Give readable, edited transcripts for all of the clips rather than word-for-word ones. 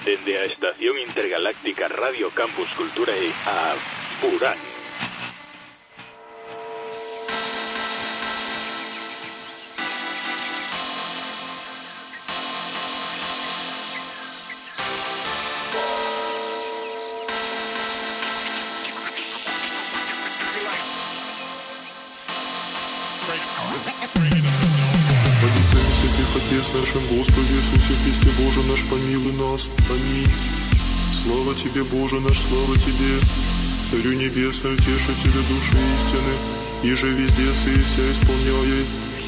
dende a Estación Intergaláctica Radio Campus Culturae a Burán. Отец нашим Господи Иисусе Христе, Боже наш, помилуй нас. Аминь. Слава Тебе, Боже наш, слава Тебе, Царю Небесный, Утешителю души истины, иже везде сы вся исполняй,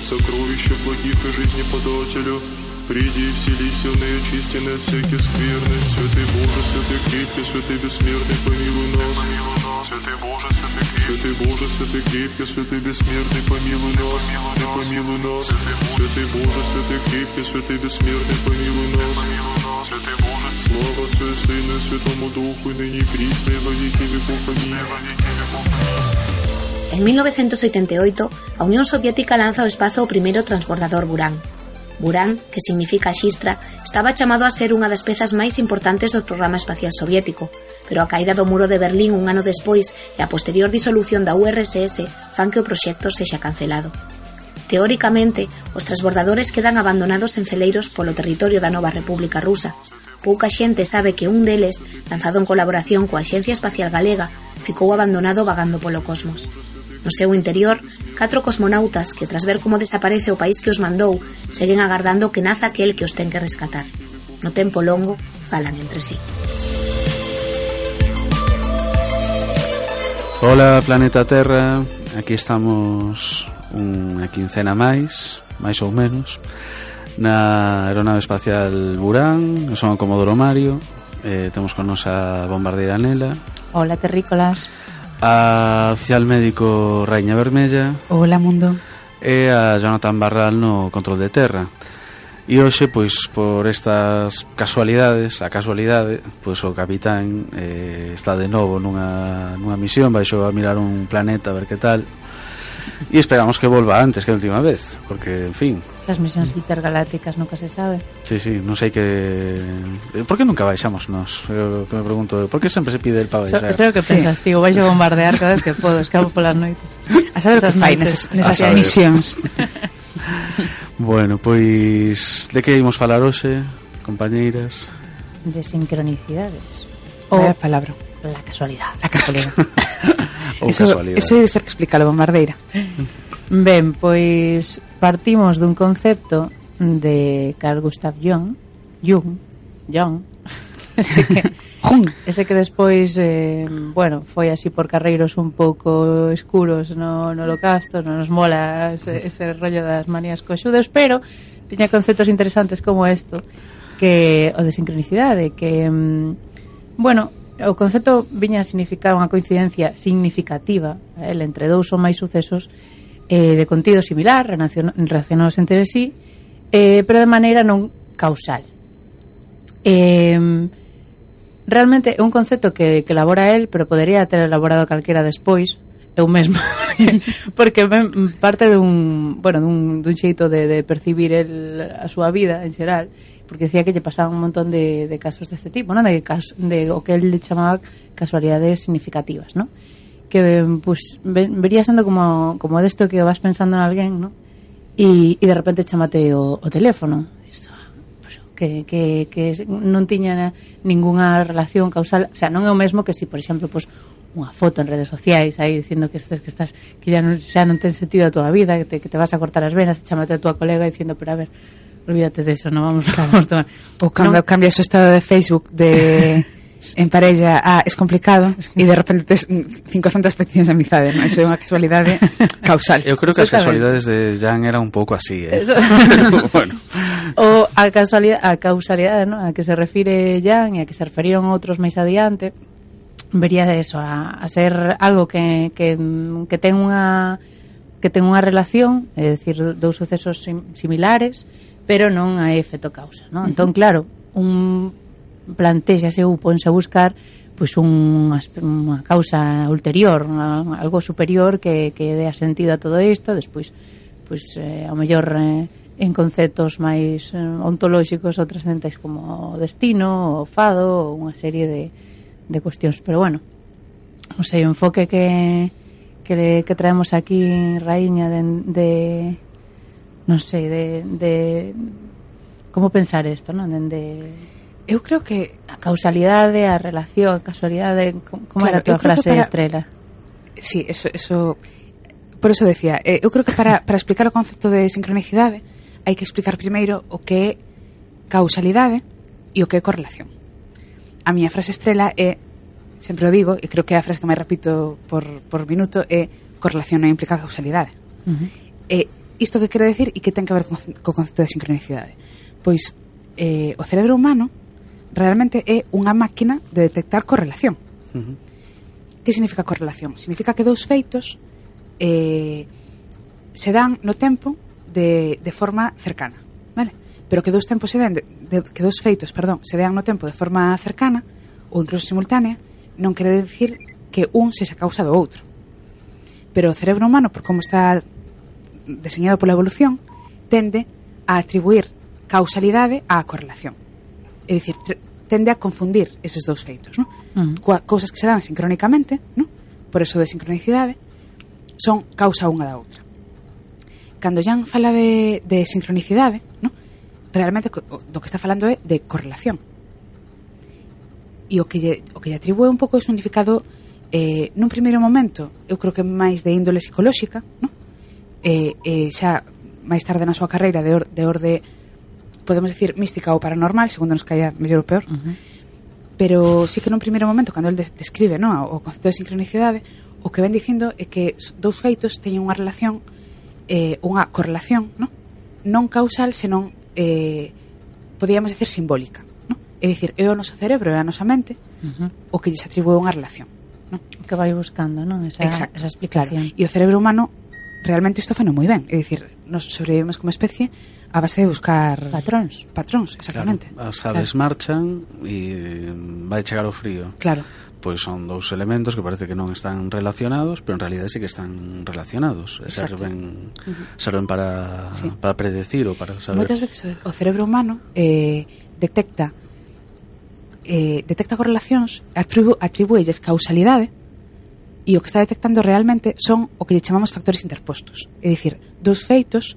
сокровища благих и жизни подателю, приди и вселися в неочистенные от всяких скверны. Святый Боже, святый крепкий, святый бессмертный, помилуй нас. Святый Боже, святый крепкий, святый бессмертный, помилуй нас. Помилуй нас. Святый Боже, святый крепкий, святый бессмертный, помилуй нас. Святый Боже, слава Отцу и Сыну и Святому Духу, и ныне и присно, и во веки веков. Аминь. En 1988, a Unión Soviética lanza ao espazo o primeiro transbordador Buran. Buran, que significa xistra, estaba chamado a ser unha das pezas máis importantes do programa espacial soviético, pero a caída do muro de Berlín un ano despois e a posterior disolución da URSS fan que o proxecto sexa cancelado. Teóricamente, os transbordadores quedan abandonados en celeiros polo territorio da nova República Rusa. Pouca xente sabe que un deles, lanzado en colaboración coa Axencia Espacial Galega, ficou abandonado vagando polo cosmos. No seu interior, 4 cosmonautas que, tras ver como desaparece o país que os mandou, seguen agardando que naza aquel que os ten que rescatar. No tempo longo, falan entre sí. Hola, planeta Terra. Aquí estamos unha quincena máis ou menos, na aeronave espacial Buran. Eu son o Comodoro Mario. Temos con nos a bombardeira Nela. Hola, terrícolas. A oficial médico Raíña Vermella. Hola, mundo. E a Jonathan Barral no control de terra. E hoxe, pois, por estas casualidade, pois o capitán está de novo nunha misión, baixo a mirar un planeta a ver que tal. E esperamos que volva antes que a última vez, porque, en fin, estas misións intergalácticas nunca se sabe. Sí, non sei que... Por que nunca baixamos nós? Eu que me pregunto, por que sempre se pide el para baixar? Eso é o que pensas, tío, baixo a bombardear cada vez que podo, escapo polas noites. A saber o que fai nesas misións. Bueno, pois, de que ímos falar hoxe, compañeiras? De sincronicidades. Vaya palabra. La casualidade. La casualidade. Eso é de ter que explicar a bombardeira. Ben, pois partimos dun concepto de Carl Gustav Jung, ese que despois foi así por carreiros un pouco escuros no holocausto, non nos mola ese rollo das manías coxudas, pero tiña conceptos interesantes como isto, que o de sincronicidade, que o concepto viña a significar unha coincidencia significativa entre dous ou máis sucesos de contido similar, relacionados entre sí, pero de maneira non causal. Realmente é un concepto que elabora el, pero podería ter elaborado calquera despois, eu mesmo, porque parte dun xeito de percibir a súa vida en xeral, porque decía que lle pasaban un montón de casos deste tipo, non? De o que el chamaba casualidades significativas, non? Que pues, vería sendo como desto que vas pensando en alguén, non? E de repente chamate o teléfono, que non tiña ningunha relación causal, o sea, non é o mesmo que si, por exemplo, pues, unha foto en redes sociais aí dicindo que estás que xa non ten sentido a túa vida, que te vas a cortar as venas, e chamate a túa colega dicindo, pero a ver, olvídate de eso, non vamos tomar. Ou cando cambias o estado de Facebook en parella es complicado e de repente tes 500 peticións de amizade, non? Iso é unha casualidade causal. Eu creo que as casualidades de Jan era un pouco así, bueno. O a causalidade, non? A que se refire Jan e a que se referiron outros máis adiante, vería eso, a ser algo que ten unha relación, é dicir, dous sucesos similares, pero non a efecto causa, non? Entón, claro, plantéxase ou ponse a buscar pois unha causa ulterior, algo superior que dé sentido a todo isto, despois pois ao mellor en conceptos máis ontolóxicos ou trascendentais como o destino, o fado, ou unha serie de cuestións. Pero bueno, non sei, o enfoque que traemos aquí, Raíña, de non sei, de como pensar isto, non? Eu creo que a causalidade, a relación, a casualidade, como claro, era a tua frase Estrela? Sí, eso por eso decía, eu creo que para explicar o concepto de sincronicidade hai que explicar primeiro o que é causalidade e o que é correlación. A miña frase estrela é, sempre o digo, e creo que é a frase que máis repito por minuto, é correlación non implica causalidade. E isto que quere decir e que ten que ver co concepto de sincronicidade? Pois o cerebro humano realmente é unha máquina de detectar correlación. Que significa correlación? Significa que dous feitos se dan no tempo de forma cercana, vale? Pero que dous tempos que dous feitos, se dan no tempo de forma cercana ou incluso simultánea, non quere decir que un sexa causa do outro. Pero o cerebro humano, por como está deseñado pola evolución, tende a atribuir causalidade á correlación. É dicir, tende a confundir eses dous feitos, non? Cousas que se dan sincrónicamente, non? Por eso de sincronicidade, son causa unha da outra. Cando Jan fala de sincronicidade, non? Realmente do que está falando é de correlación. E o que lle atribúe un pouco o significado nun primeiro momento, eu creo que máis de índole psicolóxica, non? Xa máis tarde na súa carreira de orde, podemos decir, mística ou paranormal, segundo nos caia mellor ou peor, pero sí que nun primeiro momento, cando el describe, non, o concepto de sincronicidade, o que ven dicindo é que dous feitos teñen unha relación, unha correlación, non causal, senón podíamos decir simbólica, non? É dicir, é o noso cerebro e a nosa mente o que lles atribúe unha relación, non? O que vai buscando, non? Esa explicación. Claro. E o cerebro humano realmente isto fano moi ben, é dicir, nos sobrevivimos como especie a base de buscar patróns, exactamente. Claro, as aves marchan e vai chegar o frío. Claro. Pois son dous elementos que parece que non están relacionados, pero en realidade sí que están relacionados. Serven para predecir ou para saber. Moitas veces o cerebro humano detecta correlacións, atribúelles causalidade, e o que está detectando realmente son o que lle chamamos factores interpostos. É dicir, dous feitos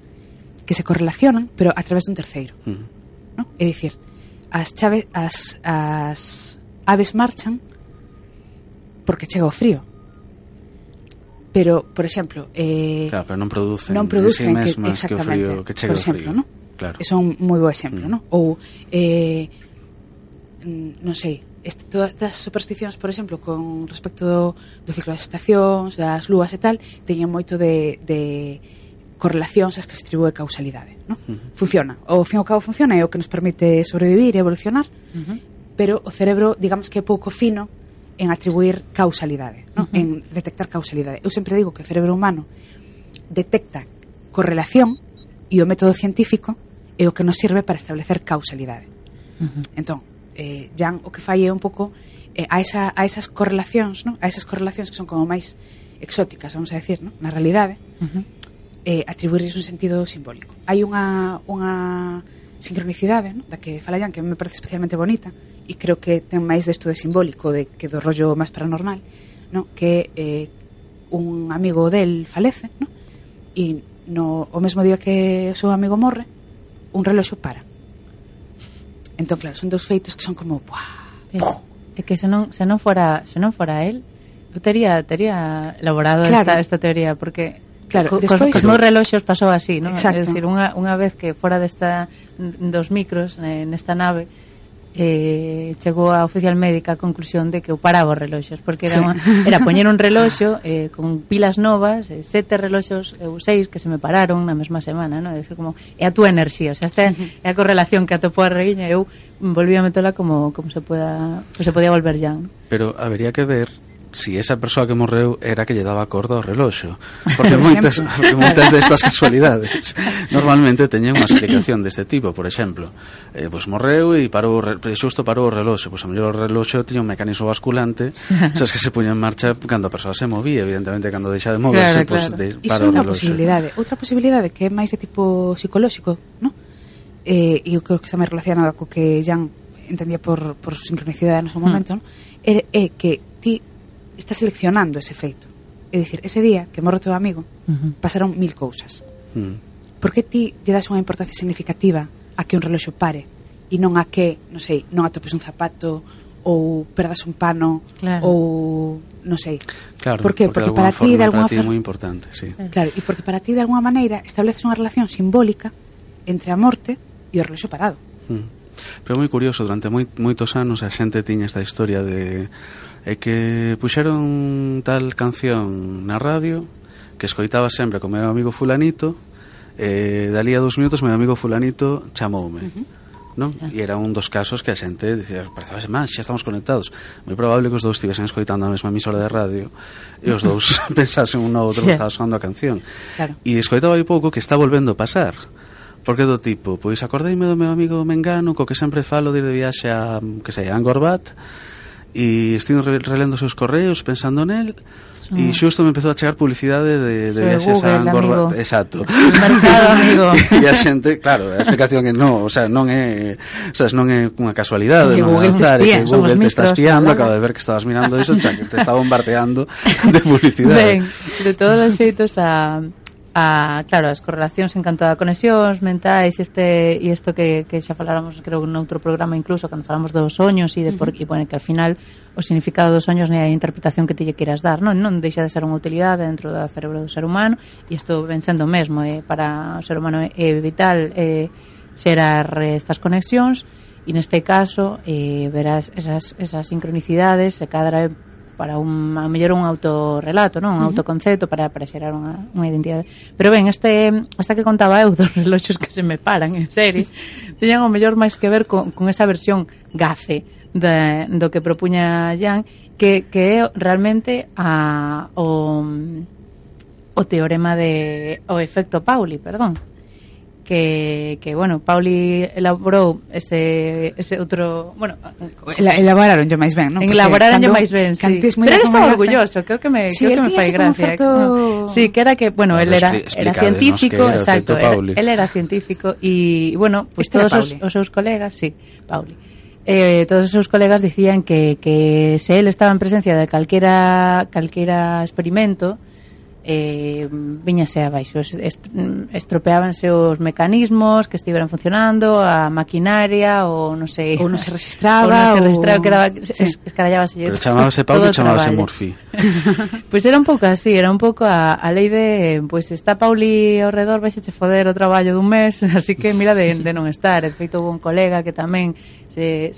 que se correlacionan, pero a través dun terceiro. ¿No? É dicir, as aves marchan porque chega o frío. Pero, por exemplo, claro, pero non producen sí mesmas que o frío, que chega o frío, ¿no? Claro. É un moi bo exemplo, ¿no? Ou non sei, todas as supersticións, por exemplo, con respecto do ciclo das estacións, das lúas e tal, teñen moito de correlacións as que se distribúe causalidade, ¿no? Funciona, ao fin e ao cabo funciona, é o que nos permite sobrevivir e evolucionar, pero o cerebro, digamos que é pouco fino en atribuir causalidade, ¿no? En detectar causalidade. Eu sempre digo que o cerebro humano detecta correlación e o método científico é o que nos sirve para establecer causalidade. Entón, Jan o que fai é un pouco a esas correlacións, ¿no? A esas correlacións que son como máis exóticas, vamos a decir, ¿no? Na realidade, atribuirles un sentido simbólico. Hai unha sincronicidade, ¿no? Da que fala Jan, que me parece especialmente bonita, e creo que ten máis desto de simbólico que do rollo máis paranormal, ¿no? Que un amigo del falece, ¿no? E o mesmo día que o seu amigo morre, un reloxo para. Entón, claro, son dous feitos que son como é que se non fora el, eu tería elaborado esta teoría, porque claro, despois cos meus reloxos pasou así, ¿no? É dicir, unha vez que fora dos micros nesta nave, chegou a oficial médica a conclusión de que eu paraba os reloxos, porque era poñer un reloxo con pilas novas, 7 reloxos, 6 que se me pararon na mesma semana, ¿no? É dicir, como é a túa enerxía, o sea, esta é a correlación que atopou a Raíña, eu volví a metela como se podía volver ya, ¿no? Pero habería que ver si esa persoa que morreu era que lle daba corda ao reloxo, porque moitas destas casualidades normalmente teñen unha explicación deste tipo. Por exemplo, pois morreu e xusto parou o reloxo, pois a mellor o reloxo tiña un mecanismo basculante, sabes, que se puña en marcha cando a persoa se movía, evidentemente cando deixa de moverse, claro. Para o reloxo. Outra posibilidade que é máis de tipo psicolóxico, ¿no? E eu creo que está máis relacionado co que Jan entendía por sincronicidade no seu momento, ¿no? É que ti estás seleccionando ese feito. É dicir, ese día que morre o teu amigo, pasaron 1000 cousas. Por que ti lle das unha importancia significativa a que un reloxo pare e non a que, non sei, non atopes un zapato ou perdas un pano, claro, ou non sei. Claro, porque para ti de alguna forma é moi importante, sí. Claro, e porque para ti de alguna maneira estableces unha relación simbólica entre a morte e o reloxo parado. Pero moi curioso, durante moitos anos a xente tiña esta historia de que puxeron tal canción na radio que escoitaba sempre con meu amigo fulanito, dali a 2 minutos meu amigo fulanito chamoume, non? E era un dos casos que a xente dicía, parecía máis, xa estamos conectados. Moi probable que os dous estivesen escoitando a mesma emisora de radio e os dous pensasen un no outro que estaba sonando a canción. Claro. E escoitaba aí pouco que está volvendo a pasar. Porque do tipo, pois acordeime do meu amigo Mengano, co que sempre falo de viaxe a, que sei, a Angkor Wat, e estive relendo os seus correos pensando nel, e xusto me empezou a chegar publicidade de viaxes a Angkor Wat. Exacto. El mercado, amigo. E a xente, claro, a explicación é non, o sea, non é unha casualidade, non é azar, que Google te está espiando, acaba de ver que estabas mirando iso, xa que te está bombardeando de publicidade. Ben, de todos os xeitos claro, as correlacións en canto a conexións mentais e isto que xa faláramos, creo, noutro programa incluso, cando falamos dos soños e de bueno, que al final o significado dos soños nem a interpretación que te lle queiras dar, non deixa de ser unha utilidade dentro do cerebro do ser humano, e isto ven sendo mesmo, para o ser humano é vital xerar estas conexións, e neste caso verás esas sincronicidades se cadra para a mellor un autorrelato, non? Un autoconcepto para xerar unha identidade. Pero ben, esta que contaba eu dos reloxos que se me paran en serie, teñan o mellor máis que ver con esa versión gafe do que propuña Jan, que é realmente o teorema o efecto Pauli, perdón. Que bueno, Pauli elaborou ese outro, bueno, elaboraron yo máis ben, non? Elaboraron yo máis ben, sí. Pero él estaba orgulloso, creo que me fai gracia. Sí, que era que, bueno, él era científico, exacto, él era científico e, bueno, pues todos os seus colegas, sí, Pauli. Todos os seus colegas dicían que se él estaba en presencia de calquera experimento, viñase abaixo, estropeábanse os mecanismos que estiveran funcionando, a maquinaria, ou non sei, ou non se registraba, quedaba, escarallábase. Pero chamábase Paulo, chamábase Murphy. Pois era un pouco así, era un pouco a lei de, pois está Pauli ao redor, vais a che foder o traballo dun mes, así que mira de non estar. De feito, houve un colega que tamén se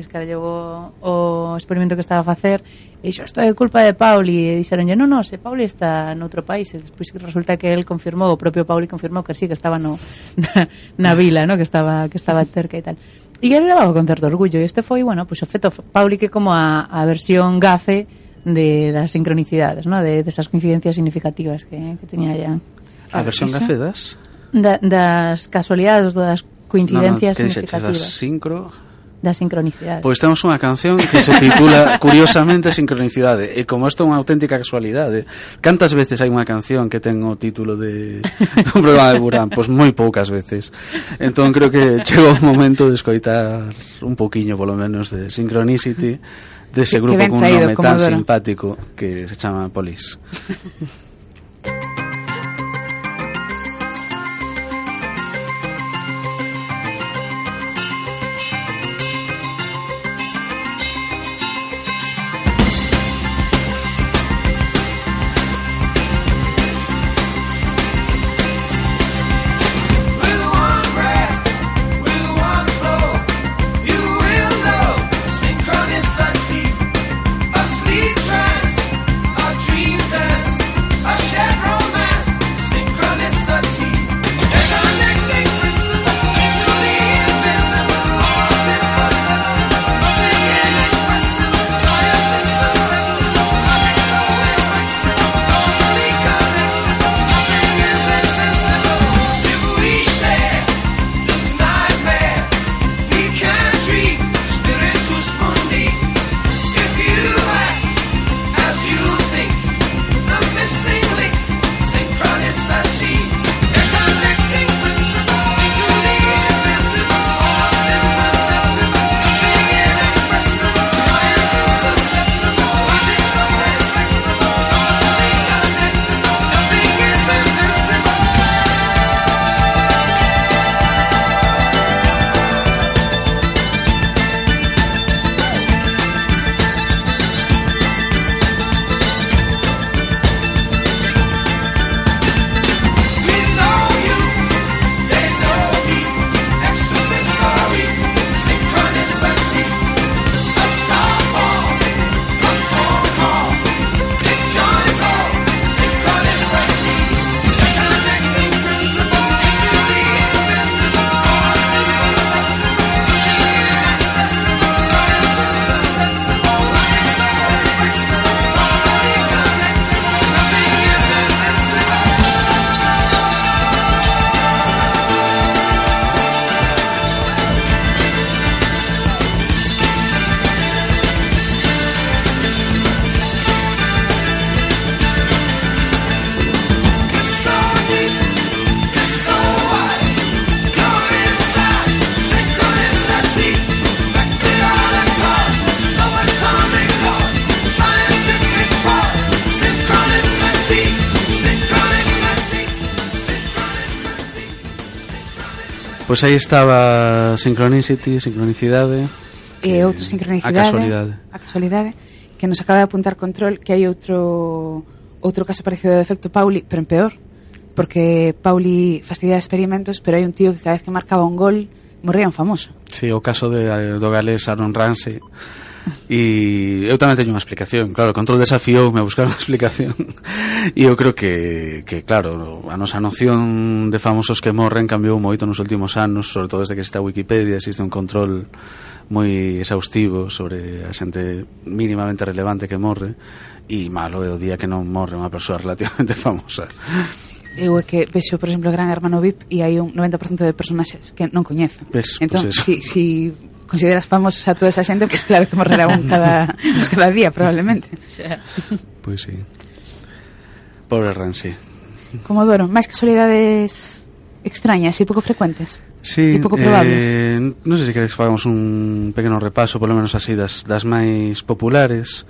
escarallou o experimento que estaba a facer e dixo, isto é culpa de Pauli, e dixeronlle, non, se Pauli está noutro país, e despois resulta que el confirmou, o propio Pauli confirmou que sí, que estaba na vila, no? que estaba cerca e tal, e ele levaba con certo orgullo, e este foi, bueno, pues o feito Pauli, que como a versión gafe das sincronicidades, no? de esas coincidencias significativas que teña ya. A versión gafe das casualidades, das coincidencias significativas. Das sincronicidade. Pois temos unha canción que se titula curiosamente Sincronicidade, e como isto é unha auténtica casualidade, cantas veces hai unha canción que ten o título de un programa de Burán? Pois moi poucas veces. Entón creo que chegou o momento de escoitar un poquiño polo menos de Synchronicity, dese grupo con un nome tan simpático que se chama Police. Pois aí estaba sincronicidade, e outra sincronicidade, a casualidade, que nos acaba de apuntar Control que hai outro caso parecido do efecto Pauli, pero en peor, porque Pauli fastidia experimentos, pero hai un tío que cada vez que marcaba un gol morría un famoso. Sí, o caso do galés Aaron Ramsey. E eu tamén teño unha explicación. Claro, Control desafioume a buscar unha explicación. E eu creo que claro, a nosa noción de famosos que morren cambiou moito nos últimos anos, sobre todo desde que existe a Wikipedia, existe un control moi exhaustivo sobre a xente mínimamente relevante que morre, e malo é o día que non morre unha persoa relativamente famosa. Sí. Eu é que vexo, por exemplo, Gran Hermano VIP e hai un 90% de personaxes que non coñezo. Entón, pues si consideras famosos a toda esa xente, pois pues claro que morrerá un cada día, probablemente. Pois sí. Pobre Ramsey. Comodoro, máis casualidades extrañas e pouco frecuentes? Sí, e pouco probables? Non sei se queres que fagamos un pequeno repaso, polo menos así, das máis populares.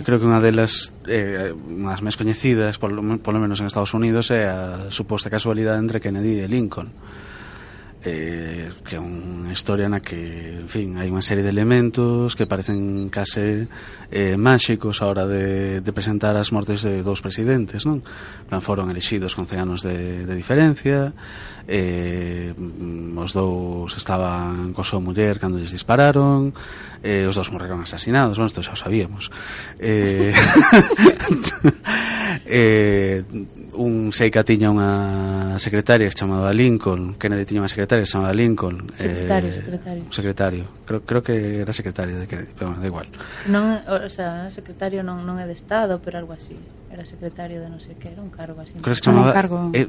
Creo que unha delas, unhas máis coñecidas, polo menos en Estados Unidos, é a suposta casualidade entre Kennedy e Lincoln. Que é unha historia na que, en fin, hai unha serie de elementos que parecen case máxicos a hora de presentar as mortes de dous presidentes, non? Foron elexidos con 100 anos de diferencia, os dous estaban coa súa muller cando lles dispararon, os dous morreron asasinados, bueno, isto xa o sabíamos. Un Seica tiña unha secretaria que se chamaba Lincoln, Kennedy tiña unha secretaria que se chamaba Lincoln. Secretario. Creo que era secretario de Kennedy, pero bueno, da igual. Non, o sea, secretario non é de Estado, pero algo así. Era secretario de non sei que, era un cargo así. Creo que se chamaba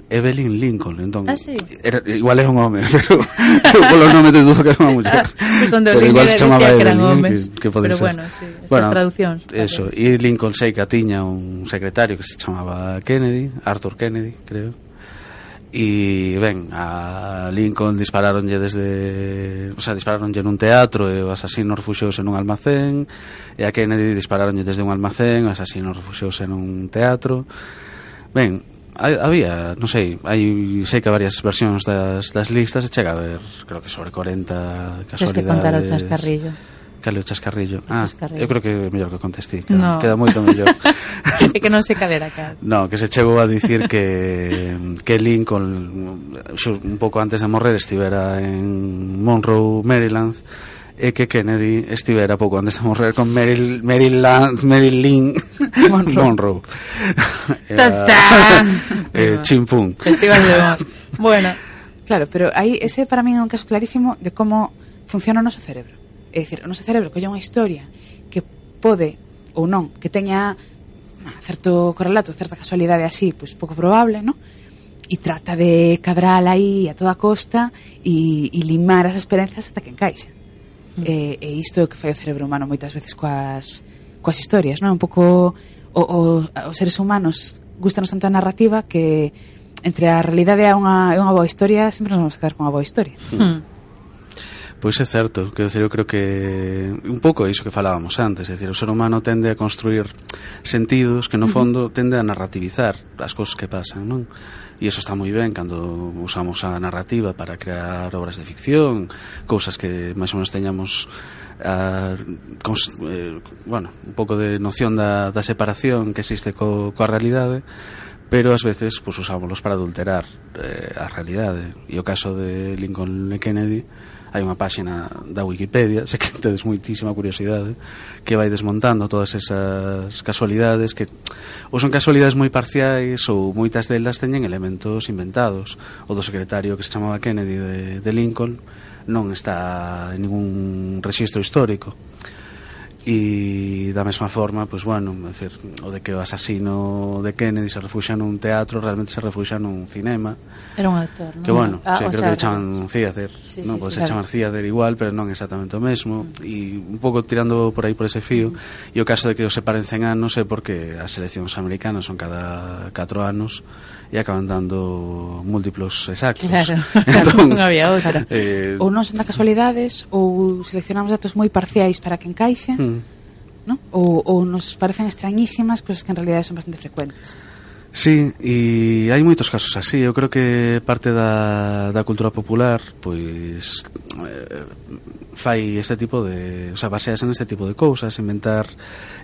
Evelyn Lincoln, entón. Ah, sí. Igual era un home, pero polo nome te dudo que era unha muller. Pero igual se chamaba Evelyn, que pode ser. Pero bueno, sí, estas traduccións. Eso, e Lincoln Seica tiña un secretario que se chamaba Kennedy, Arthur Kennedy, creo. E ben, a Lincoln disparáronlle disparáronlle nun teatro e o asasino refuxiouse nun almacén, e a Kennedy disparáronlle desde un almacén, o asasino refuxiouse nun teatro. Ben, había, non sei, sei que varias versións das listas, e chega a ver, creo que sobre 40 casualidades. Tens que contar o chascarrillo. Cale o chascarrillo. Chascarrillo. Eu creo que é mellor que contestí, queda moito mellor. É que non se cadera cá. No, que se chegou a dicir que Lincoln un pouco antes de morrer estivera en Monroe, Maryland, e que Kennedy estivera pouco antes de morrer con Marilyn Monroe. Chimpún. Festival de humor. Bueno, claro, pero aí ese para mí é un caso clarísimo de como funciona o noso cerebro. É dicir, o noso cerebro colle unha historia que pode ou non, que teña certo correlato, certa casualidade así, pois pouco probable, non? E trata de cadrar aí a toda costa e limar as experiencias ata que encaixa. E isto é o que fai o cerebro humano moitas veces coas historias, non? Un pouco os seres humanos gustanos tanto a narrativa que entre a realidade e unha boa historia sempre nos vamos a quedar con unha boa historia. Pois é certo, quero decir, eu creo que un pouco é iso que falábamos antes, é dicir, o ser humano tende a construir sentidos que no fondo tende a narrativizar as cousas que pasan, non? E iso está moi ben cando usamos a narrativa para crear obras de ficción, cousas que máis ou menos teñamos un pouco de noción da separación que existe coa realidade, pero ás veces pues, usámoslos para adulterar a realidade. E o caso de Lincoln e Kennedy, hai unha páxina da Wikipedia, sei que tedes moitísima curiosidade, que vai desmontando todas esas casualidades que ou son casualidades moi parciais ou moitas delas teñen elementos inventados. O do secretario que se chamaba Kennedy de Lincoln non está en ningún rexistro histórico. E da mesma forma, pues bueno, é dicir, o de que o asasino de Kennedy se refuxa nun teatro, realmente se refuxa nun cinema. Era un actor, non? Que bueno, creo que le chaman Theater, non? Pode ser chamar Theater igual, pero non exactamente o mesmo. E un pouco tirando por aí por ese fío, e o caso de que os separen 100 anos é porque as eleccións americanas son cada 4 anos e acaban dando múltiplos exactos. Claro, entón, non había outra. Ou non son da casualidades, ou seleccionamos datos moi parciais para que encaixe, ¿no? Ou nos parecen extrañísimas cousas que en realidad son bastante frecuentes. Sí, e hai moitos casos así. Eu creo que parte da cultura popular pois fai este tipo de, o sea, baseas en este tipo de cousas, inventar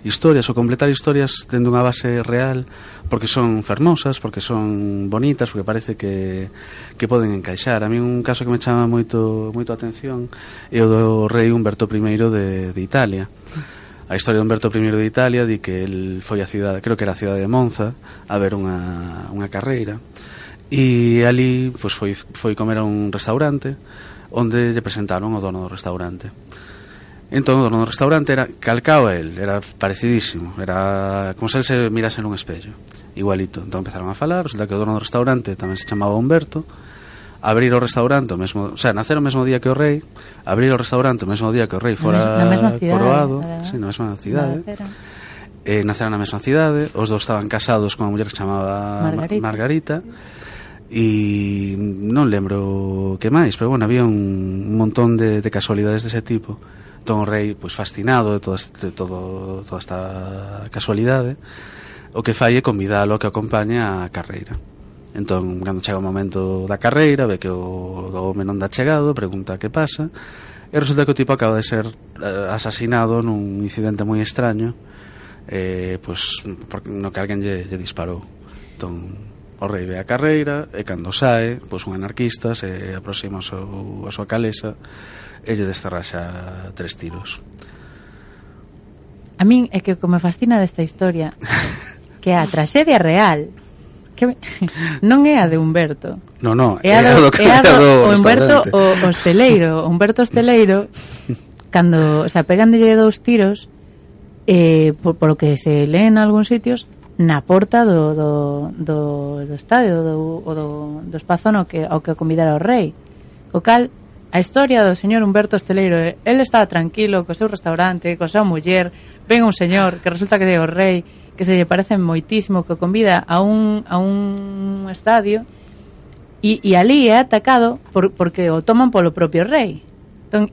historias ou completar historias tendo unha base real, porque son fermosas, porque son bonitas, porque parece que poden encaixar. A mí un caso que me chama moito a atención é o do rei Humberto I de Italia. A historia de Humberto I de Italia di que el foi a cidade, creo que era a cidade de Monza, a ver unha carreira, e ali pois foi comer a un restaurante onde lle presentaron o dono do restaurante. Entón o dono do restaurante era calcao a el, era parecidísimo, era como se el se mirase nun espello, igualito. Entón empezaron a falar, resulta que o dono do restaurante tamén se chamaba Humberto. Abrir o restaurante o mesmo, o sea, nacer o mesmo día que o rei, abrir o restaurante o mesmo día que o rei fora coroado, na mesma cidade. Naceron na mesma cidade, os dous estaban casados con unha muller que se chamaba Margarita. E non lembro que máis, pero bueno, había un montón de casualidades dese tipo. Entón o rei, pois fascinado de toda esta casualidade, o que fai é convidalo a que acompañe a carreira. Entón, cando chega o momento da carreira, ve que o home non dá chegado, pregunta que pasa, e resulta que o tipo acaba de ser asasinado nun incidente moi extraño, pois no que alguén lle disparou. Entón, o rei ve a carreira, e cando sae, pois un anarquista se aproxima a súa calesa e lle desterraxa 3 tiros. A min é que o que me fascina desta historia que é a traxedia real que non é a de Humberto. No, é a do Humberto o hosteleiro. Humberto hosteleiro cando, o sea, peganlle 2 tiros por o que se lee en algúns sitios na porta do estadio do espazo ao que convidara o rei. O cal a historia do señor Humberto Hosteleiro, el estaba tranquilo co seu restaurante, co seu muller, ven un señor que resulta que é o rei, que se lle parece moitísimo, que o convida a un estadio e ali é atacado porque o toman polo propio rei. Entón,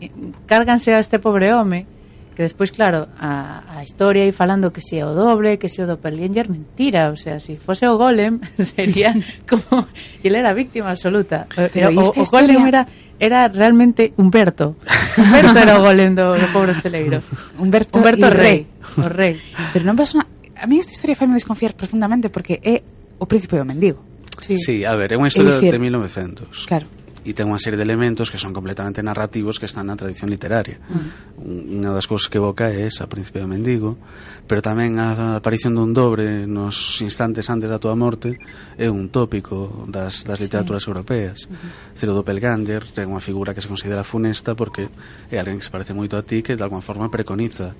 cárganse a este pobre home, que despois, claro, a historia aí falando que se é o doble, que se é o doppelganger, mentira, o sea, se fose o Golem sería como ele era víctima absoluta. Pero o Golem era realmente Humberto era o Golem do pobre hosteleiro. Humberto rei, o rei. Pero non ves a mí esta historia faime desconfiar profundamente porque é o príncipe do mendigo. Sí, a ver, é unha historia de 1900. Claro. E ten unha serie de elementos que son completamente narrativos que están na tradición literaria. Unha das cousas que evoca é esa, Príncipe do Mendigo, pero tamén a aparición dun dobre nos instantes antes da túa morte é un tópico das literaturas europeas. O doppelganger é unha figura que se considera funesta porque é alguén que se parece moito a ti, que de alguma forma preconiza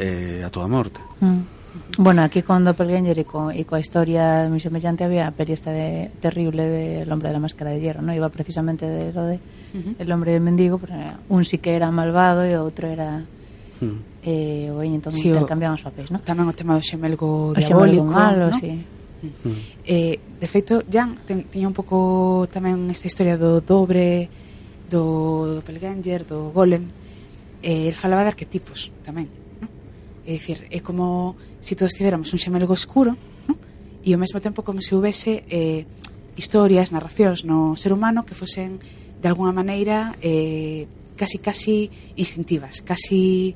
a túa morte. Bueno, aquí con Doppelganger e coa historia moi semellante había a peli esta terrible de El hombre de la máscara de hierro, ¿no? Iba precisamente de lo de El hombre del mendigo, pero un sí que era malvado e o outro era entón sí, intercambiaban os papéis, ¿no? Tamén o tema do xemelgo diabólico, malo, ¿no? Sí. De feito, Jan tiña un pouco tamén esta historia do dobre, do Doppelganger, do Golem. El falaba de arquetipos tamén. É dicir, é como se todos tiveramos un xemelgo escuro, ¿no? E ao mesmo tempo como se houvese historias, narracións no ser humano que fosen de alguna maneira casi instintivas, casi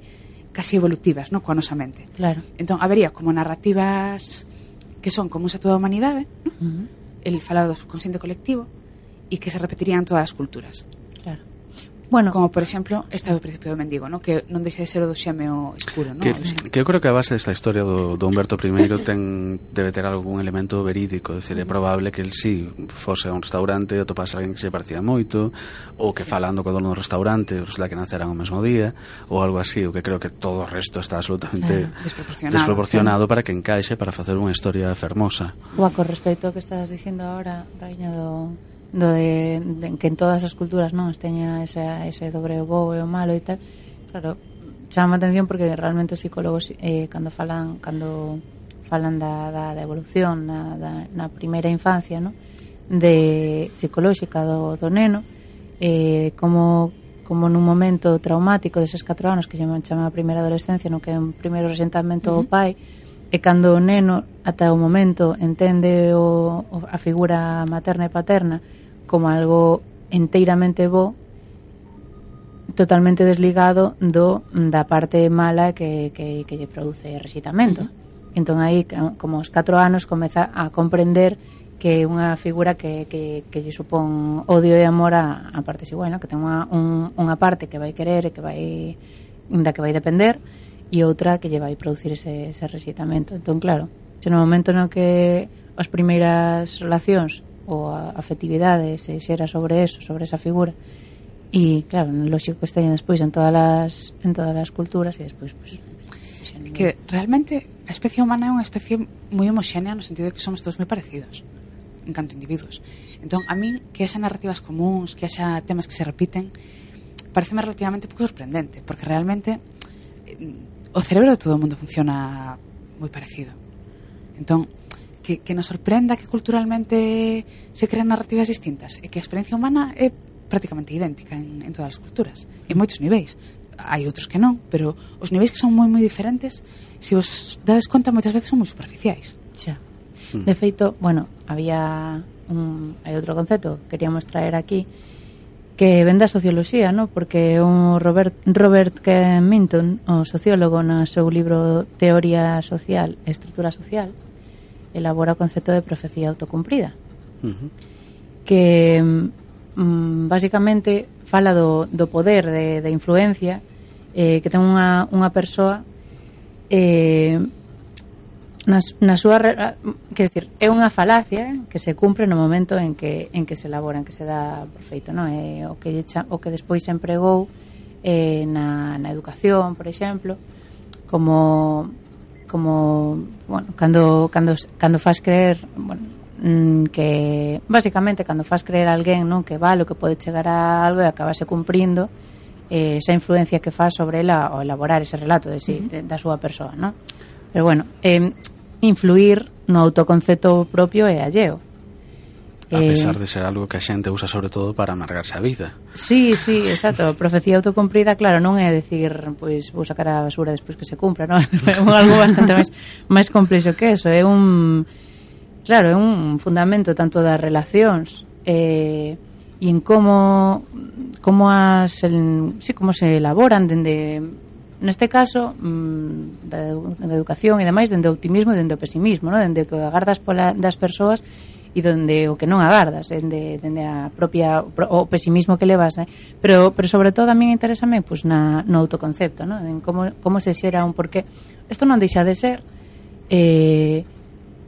evolutivas, ¿no? Coa nosa mente. Claro. Entón, habería como narrativas que son comuns a toda a humanidade, ¿no? El falado do subconsciente colectivo e que se repetirían en todas as culturas. Claro. Bueno, como por exemplo esta do Príncipe do Mendigo, ¿no? Que non deixa de ser o do xemeo escuro, ¿no? Que eu creo que a base desta historia do Humberto I debe ter algún elemento verídico, é dicir, é probable que el sí fose a un restaurante e topase alguén que se parecía moito, ou que falando co dono do restaurante resulta que naceran o mesmo día, ou algo así. O que creo que todo o resto está absolutamente desproporcionado para que encaixe para facer unha historia fermosa. Con respecto ao que estás dicindo agora, Raíña, de que en todas as culturas non teña ese dobre o bo e o malo e tal, claro, chama a atención porque realmente os psicólogos cando falan da evolución na primeira infancia, ¿no? De psicolóxica do neno, como nun momento traumático deses 4 anos que chama a primeira adolescencia, no que é un primeiro resentamento ao pai, E cando o neno, ata o momento, entende a figura materna e paterna como algo enteiramente bo, totalmente desligado da parte mala que lle produce rexeitamento. Entón aí, como aos 4 anos, comeza a comprender que é unha figura que lle supón odio e amor a partes igual, ¿no? Que ten unha parte que vai querer e da que vai depender, e outra que lle vai producir ese rexeitamento. Entón, claro, se no momento no que as primeiras relacións ou a afectividade se xera sobre eso, sobre esa figura, e claro, lógico que esteñen despois en todas as culturas, e despois pues, que realmente a especie humana é unha especie moi homoxénea no sentido de que somos todos moi parecidos en canto individuos. Entón, a min que haxa narrativas comuns, que haxa temas que se repiten, pareceme relativamente pouco sorprendente, porque realmente o cerebro de todo o mundo funciona moi parecido. Entón, que nos sorprenda que culturalmente se crean narrativas distintas e que a experiencia humana é prácticamente idéntica en todas as culturas, en moitos niveis. Hai outros que non, pero os niveis que son moi diferentes, se vos dades conta, moitas veces son moi superficiais. Xa. De feito, bueno, hai outro concepto que queríamos traer aquí que ven da socioloxía, ¿no? Porque o Robert K. Minton, o sociólogo, no seu libro Teoría Social e Estrutura Social, elabora o concepto de profecía autocumprida, que basicamente fala do poder de influencia que ten unha persoa na súa, quer decir, é unha falacia que se cumpre no momento en que se elabora, en que se dá por feito, non? O que despois se empregou na educación, por exemplo, como bueno, cando faz creer, bueno, que basicamente cando faz creer a alguén, non, que vale, que pode chegar a algo e acabase cumprindo esa influencia que faz sobre ela ao elaborar ese relato da súa persoa, non? Pero bueno, influir no autoconcepto propio e alleo. A pesar de ser algo que a xente usa sobre todo para amargarse a vida. Sí, exacto. Profecía autocumprida, claro, non é decir, pois vou sacar a basura despois que se cumpra, non? É algo bastante máis complexo que eso. É un fundamento tanto das relacións e en como se elaboran dende, neste caso, da educación e demais, dende o optimismo e dende o pesimismo, non? Dende o que agardas das persoas e dende o que non agardas, dende a propia o pesimismo que levas, pero sobre todo a min interésame pois no autoconcepto, non? En como se xera un porqué. Isto non deixa de ser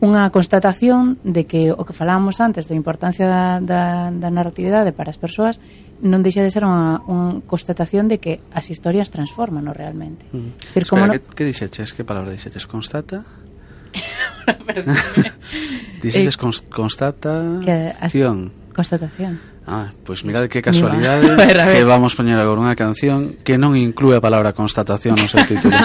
unha constatación de que o que falábamos antes da importancia da narratividade para as persoas non deixa de ser unha constatación de que as historias transforman realmente. Decir, espera, que dixeches? Que palabra dixeches? Constata? Dixeches constatación. Constatación. Pois mirade que casualidade que vamos poñer agora unha canción que non inclúe a palabra constatación no seu título.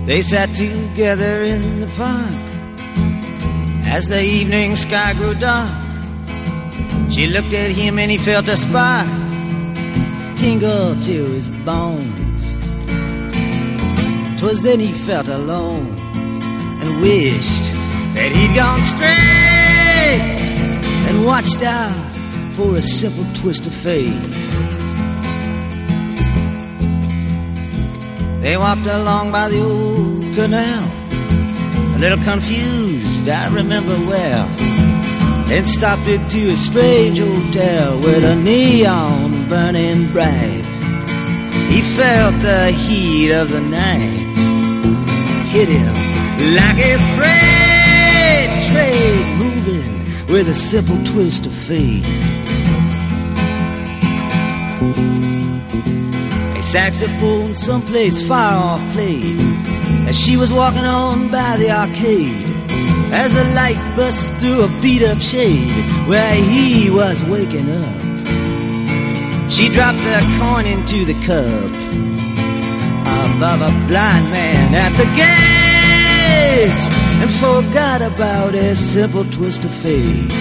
They sat together in the park as the evening sky grew dark. She looked at him and he felt a spark tingle to his bones. 'Twas then he felt alone and wished that he'd gone straight and watched out for a simple twist of fate. They walked along by the old canal, a little confused, I remember well, then stopped into a strange hotel with a neon burning bright. He felt the heat of the night hit him like a freight train moving with a simple twist of fate. A saxophone someplace far off played as she was walking on by the arcade, as the light burst through a beat-up shade where he was waking up. She dropped the coin into the cup above a blind man at the gate and forgot about a simple twist of fate.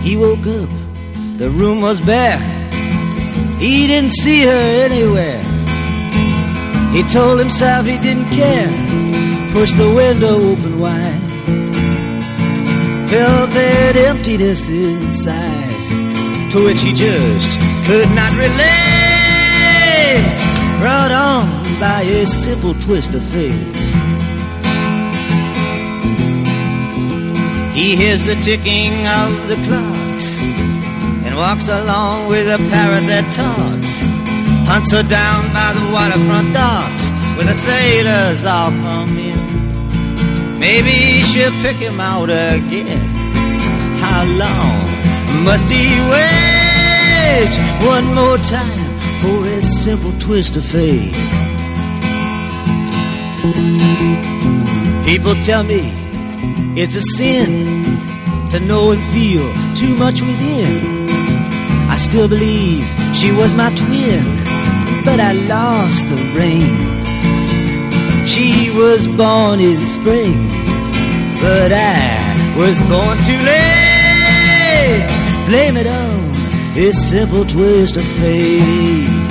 He woke up, the room was bare. He didn't see her anywhere. He told himself he didn't care. Pushed the window open wide. Felt that emptiness inside, to which he just could not relate. Brought on by a simple twist of fate. He hears the ticking of the clocks and walks along with a parrot that talks. Hunts her down by the waterfront docks where the sailors all come in. Maybe she'll pick him out again. How long must he wait? One more time for a simple twist of fate. People tell me it's a sin to know and feel too much within. I still believe she was my twin, but I lost the rain. She was born in spring, but I was born too late. Blame it on this simple twist of fate.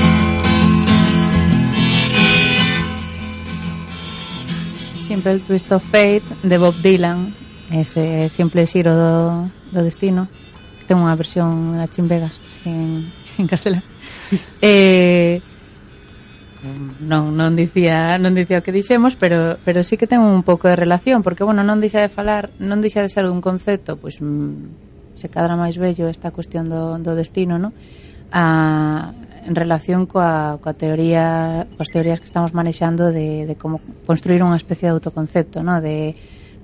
Simple Twist of Fate de Bob Dylan, ese simple xiro do destino. Ten unha versión na Chin Vegas en castelán. Non dicía o que dixemos, pero sí que ten un pouco de relación, porque bueno, non deixa de ser un concepto, pois se cadra máis bello esta cuestión do destino, ¿no? En relación coas teorías que estamos manexando de como construir unha especie de autoconcepto, ¿no? De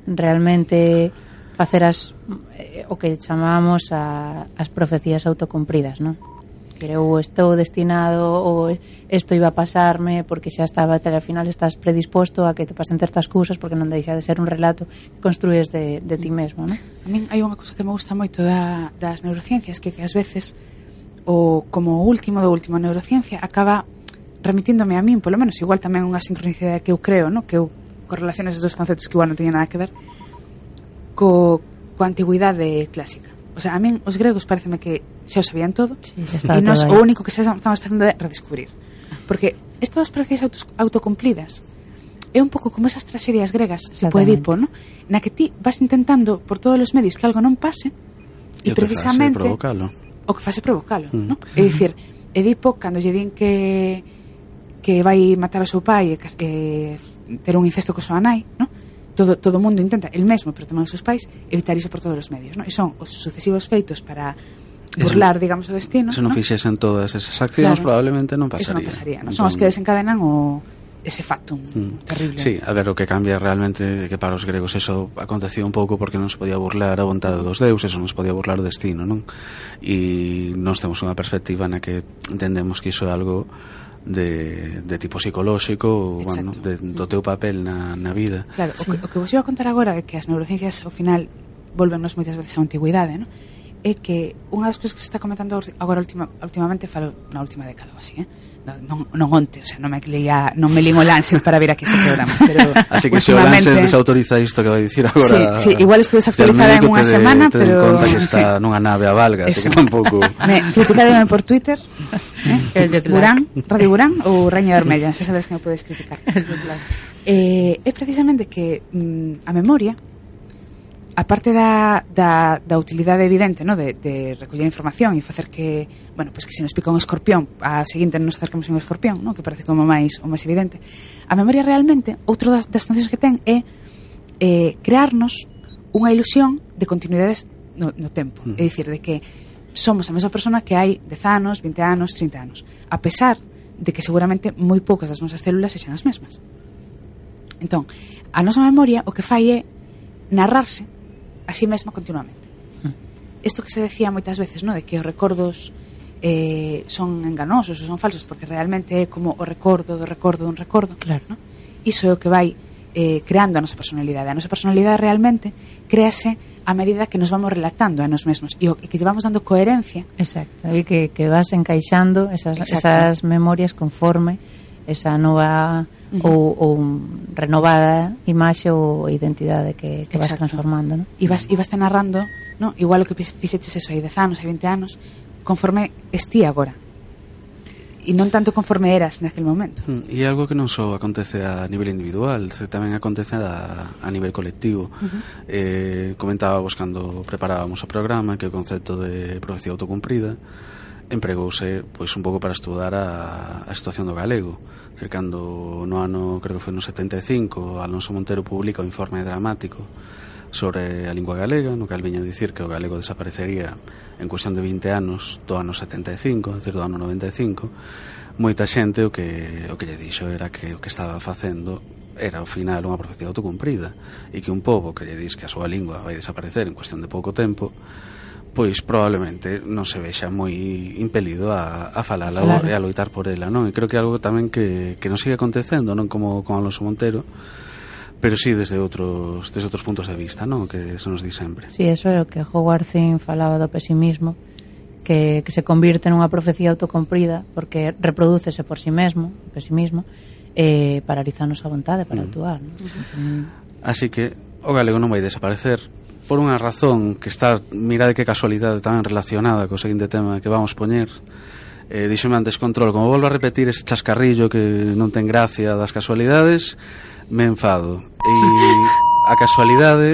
realmente facer o que chamamos as profecías autocumpridas, ¿no? Que eu estou destinado ou isto iba a pasarme porque xa estaba, al final estás predisposto a que te pasen certas cousas porque non deixa de ser un relato que construís de ti mesmo, ¿no? A min hai unha cousa que me gusta moito das neurociencias, que ás veces o como último a neurociencia acaba remitíndome a min, polo menos igual tamén unha sincronicidade que eu creo, ¿no? Que eu correlaciono esos dos conceptos que igual non teñen nada que ver coa antigüidade clásica. O sea, a min os gregos pareceme que xa o sabían todo, sí, e nos o único que estamos facendo é redescubrir. Porque estas profecías autocumplidas é un pouco como esas tragedias gregas tipo Edipo, ¿no? Na que ti vas intentando por todos os medios que algo non pase e precisamente o que fase provocalo, ¿no? É dicir, Edipo cando lle din que vai matar ao seu pai e ter un incesto co súa nai, ¿no? Todo o mundo intenta, el mesmo, pero tamén os seus pais, evitar iso por todos os medios, ¿no? E son os sucesivos feitos para burlar, digamos, o destino. Se non fixesen todas esas accións, claro, probablemente non pasaría. Eso non pasaría, ¿no? Son os que desencadenan ese factum terrible. Sí, a ver, o que cambia realmente que para os gregos eso acontecía un pouco porque non se podía burlar a vontade dos deuses, non se podía burlar o destino, non? E nós temos unha perspectiva na que entendemos que iso é algo de tipo psicolóxico, bueno, do teu papel na vida. Claro, sí. O que vos iba a contar agora é que as neurociencias ao final volvennos moitas veces á antigüidade, ¿no? É que unha das cousas que se está comentando agora últimamente, falo na última década ou así, non onte, o sea, non me lín o Lancet para ver aquí este programa, pero así que se o Lancet desautoriza isto que vai dicir agora. Sí, igual estou desactualizada en unha semana, pero ten conta que está nunha nave a valga, así que tampouco. Me criticaron por Twitter, el de Burán, Radio Burán ou Raña Vermella, se sabes que me podes criticar. É precisamente que a memoria a parte da utilidade evidente, no? de recoller información e facer que, bueno, pues que se nos pica un escorpión, a seguinte nos acercamos a un escorpión, no? Que parece como o máis evidente. A memoria realmente, outro das funcións que ten é crearnos unha ilusión de continuidades no tempo. É dicir, de que somos a mesma persona que hai 10 anos, 20 anos, 30 anos, a pesar de que seguramente moi poucas das nosas células sexan as mesmas. Entón, a nosa memoria o que fai é narrarse a sí mesma continuamente. Isto que se decía moitas veces, no? De que os recordos son enganosos ou son falsos, porque realmente é como o recordo do recordo dun recordo. Claro. No? Iso é o que vai creando a nosa personalidade. A nosa personalidade realmente créase a medida que nos vamos relatando a nos mesmos e que llevamos dando coherencia. Exacto, e que vas encaixando esas memorias conforme esa nova ou renovada imaxe ou identidade que vas transformando, ¿no? E vas te narrando, ¿no? Igual o que fixeches eso hai 10 anos, hai 20 anos, conforme estí agora. E non tanto conforme eras naquele momento. E algo que non só acontece a nivel individual, tamén acontece a nivel colectivo. Comentábamos cando preparábamos o programa que o concepto de profecía autocumprida empregouse pois un pouco para estudar a situación do galego. Cercando no ano, creo que foi no 75, Alonso Montero publica o informe dramático sobre a lingua galega, no cal viña a dicir que o galego desaparecería en cuestión de 20 anos do ano 75, é dicir, do ano 95. Moita xente o que lle dixo era que o que estaba facendo era ao final unha profecía autocumprida e que un pobo que lle dis que a súa lingua vai desaparecer en cuestión de pouco tempo, pois probablemente non se vexa moi impelido a falala e a loitar por ela, non? E creo que é algo tamén que non sigue acontecendo, non como con Alonso Montero, pero sí desde outros puntos de vista, non? Que se nos di sempre. Sí, eso é o que Howard Zinn falaba do pesimismo, que se convirte nunha profecía autocumprida porque reprodúcese por si mesmo, o pesimismo, paralizanos a vontade para actuar, non? Así que o galego non vai desaparecer por unha razón que está, mirade que casualidade tamén relacionada co seguinte tema que vamos poñer. Díxome antes Control, como volvo a repetir ese chascarrillo que non ten gracia das casualidades, me enfado. E a casualidade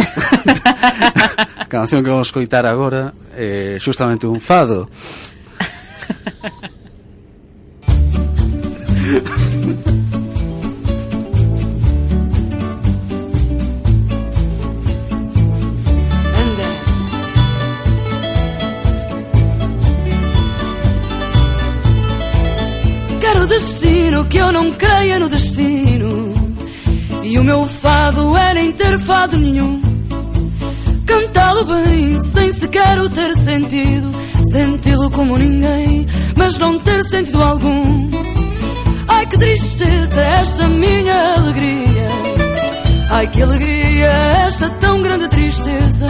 a canción que vamos coitar agora é justamente un fado. Quero destino, que eu não creia no destino. E o meu fado é nem ter fado nenhum. Cantá-lo bem, sem sequer o ter sentido. Senti-lo como ninguém, mas não ter sentido algum. Ai que tristeza esta minha alegria. Ai que alegria esta tão grande tristeza.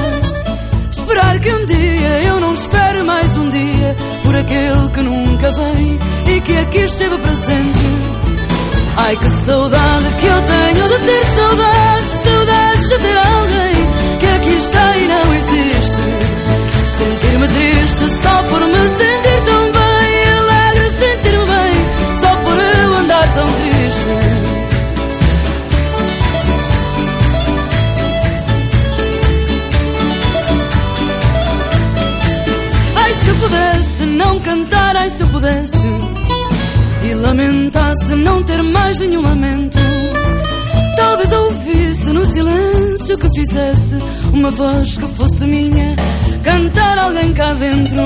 Esperar que um dia eu não espere mais um dia por aquele que nunca vem e que aqui esteve presente. Ai que saudade que eu tenho de ter saudade, saudades de ter alguém que aqui está e não existe. Sentir-me triste só por me sentir tão bem, alegre sentir-me bem só por eu andar tão triste. Se eu pudesse não cantar, ai se eu pudesse e lamentasse não ter mais nenhum lamento, talvez eu ouvisse no silêncio que fizesse uma voz que fosse minha, cantar alguém cá dentro.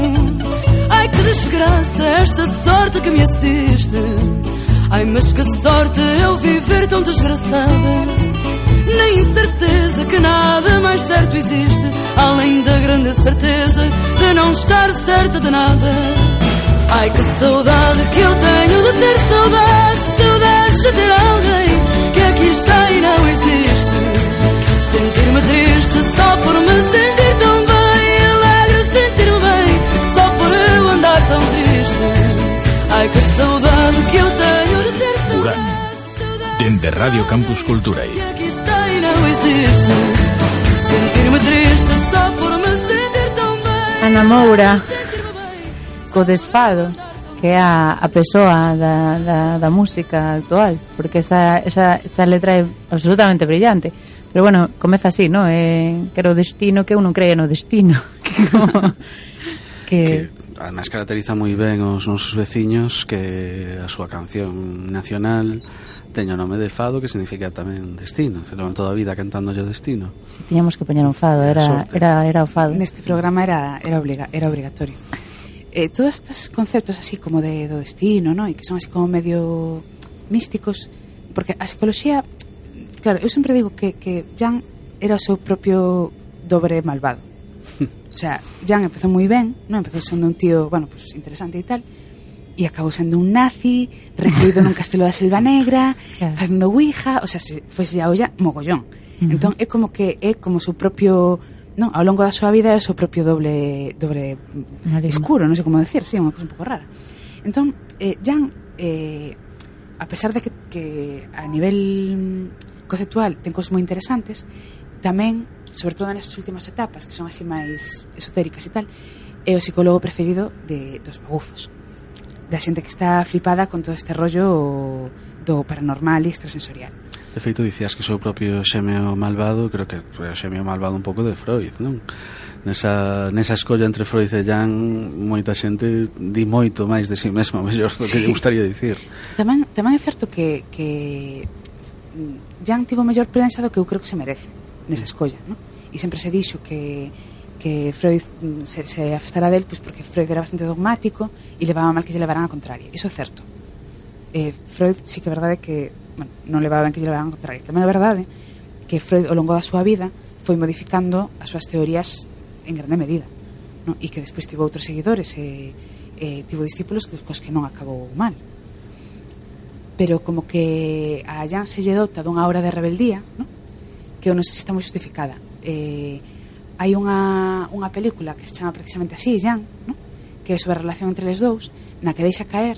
Ai que desgraça esta sorte que me assiste. Ai mas que sorte eu viver tão desgraçada. Nem certeza que nada mais certo existe, além da grande certeza de não estar certa de nada. Ai que saudade que eu tenho de ter saudade, saudades de ter alguém que aqui está e não existe. Sentir-me triste só por me sentir tão bem, alegre sentir-me bem só por eu andar tão triste. Ai que saudade que eu tenho de ter saudade. Dende Radio Campus Culturae. Ana Moura co desfado, que é a persoa da música actual, porque esa letra é absolutamente brillante, Pero bueno, comeza así, ¿no? Que era o destino, que eu non creía no destino. Que además caracteriza moi ben os nosos veciños, que a súa canción nacional teña o nome de fado, que significa tamén destino. Se levan toda a vida cantando o destino. Tiñamos que poñer un fado, era o fado. Neste programa era obligatorio. Todos estes conceptos así como do destino, ¿no? E que son así como medio místicos, porque a psicología, claro, eu sempre digo que Jan era o seu propio dobre malvado. O sea, Jan empezou moi ben, non? Empezou sendo un tío, bueno, pues interesante e tal, e acabou sendo un nazi, recluído nun castelo da Selva Negra, facendo ouija, o sea, se fose a olla mogollón. Entón é como que é como o seu propio, non, ao longo da súa vida é o seu propio doble escuro, non sei como decir, sí, unha cosa un pouco rara. Entón, Jan, a pesar de que a nivel conceptual ten cosas moi interesantes, tamén, sobre todo nestas últimas etapas, que son así máis esotéricas e tal, é o psicólogo preferido dos magufos, da xente que está flipada con todo este rollo do paranormal e extrasensorial. De feito, dicías que o seu propio xemeo malvado, creo que o xemeo malvado un pouco de Freud, non? Nesa escolla entre Freud e Jan, moita xente di moito máis de si mesma, mellor do que lle gustaría dicir. Tamén é certo que Jan tivo mellor prensa do que eu creo que se merece nesa escolla, non? E sempre se dixo que Freud se afastara del, pois porque Freud era bastante dogmático e levaba mal que lle levaran a contraria. Iso é certo. Freud sí que é verdade que, bueno, non levaba ben que lle levaran a contraria. Tamén é verdade que Freud ao longo da súa vida foi modificando as súas teorías en grande medida, non? E que despois tivo outros seguidores e tivo discípulos cos que non acabou mal. Pero como que a Jan se lle dota dunha aura de rebeldía, non? Que eu non sei se está moi justificada. Hai unha película que se chama precisamente así, Jan, ¿no? Que é sobre a relación entre les dous, na que deixa caer,